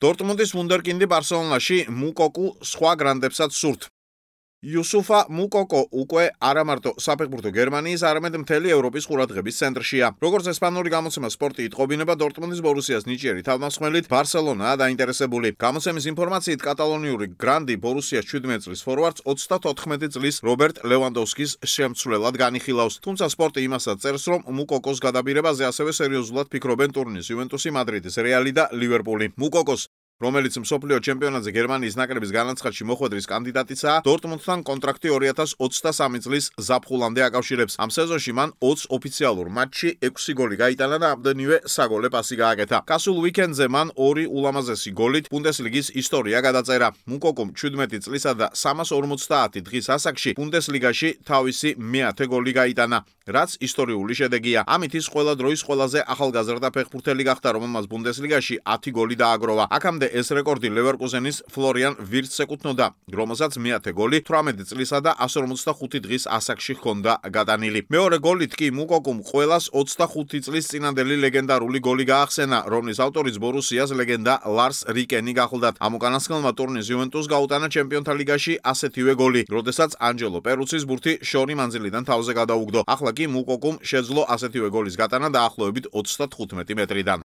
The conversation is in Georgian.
დორტმუნდის ვუნდერკინდი ბარსელონაში მუკოკუ სხვა გრანდებსაც სურთ. იუსუფა მუკოკო უკვე არა მარტო საფეხბურთო გერმანიის, არამედ მთელი ევროპის ყურადღების ცენტრშია. როგორც ესპანური გამოცემა სპორტი იტყობინება, დორტმუნდის ბორუსიას ნიჭიერი თავდამსხმელით ბარსელონაა დაინტერესებული. გამოცემის ინფორმაციით, კატალონიური გრანდი ბორუსიას 17 წლის ფორვარდს 34 წლის რობერტ ლევანდოვსკის შემცვლელად განიხილავს. თუმცა სპორტი იმასაც წერს, რომ მუკოკოს გადაბირებაზე ასევე სერიოზულად ფიქრობენ ტურინის იუვენტუსი, მადრიდის რეალი და ლივერპული. მუკოკოს, რომელიც მსოფლიო ჩემპიონატზე გერმანიის ნაკრების განაცხადში მოხვედრის კანდიდატიცაა, დორტმუნდთან კონტრაქტი 2023 წლის ზაფხულამდე აკავშირებს. ამ სეზონში მან 20 ოფიციალურ მატჩში 6 გოლი გაიტანა და ამდენივე საგოლე პასი გააკეთა. გასულ უიკენდზე მან 2 ულამაზესი გოლით ბუნდესლიგის ისტორია გადაწერა. მუკოკომ 17 წლისა და 350 დღის ასაკში ბუნდესლიგაში თავისი მე-10 გოლი გაიტანა, რაც ისტორიული შედეგია. ამით ის ყველა დროის ყველაზე ახალგაზრდა ფეხბურთელი გახდა, რომელმაც ბუნდესლიგაში 10 გოლი დააგროვა. აქამდე ეს რეკორდი ლევერკუზენის ფლორიან ვირთს ეკუთვნოდა, რომელსაც მე-10 გოლი 18 წლისა და 155 დღის ასაკში ჰქონდა გადანილი. მეორე გოლით კი მუკოკომ ყველას 25 წლის წინანდელი ლეგენდარული გოლი გაახსენა, რომლის ავტორიც ბორუსიას ლეგენდა ლარს რიკენი გახლდათ. ამ უკანასკნელმა ტურნირს იუვენტუსს გაუტანა ჩემპიონთა ლიგაში ასეთივე გოლი, როდესაც ანჯელო პერუცის ბურთი შორი მანძილიდან თავზე გადაუგდო. ახლა კი მუკოკომ შეძლო ასეთივე გოლის გატანა დაახლოებით 35 მეტრიდან.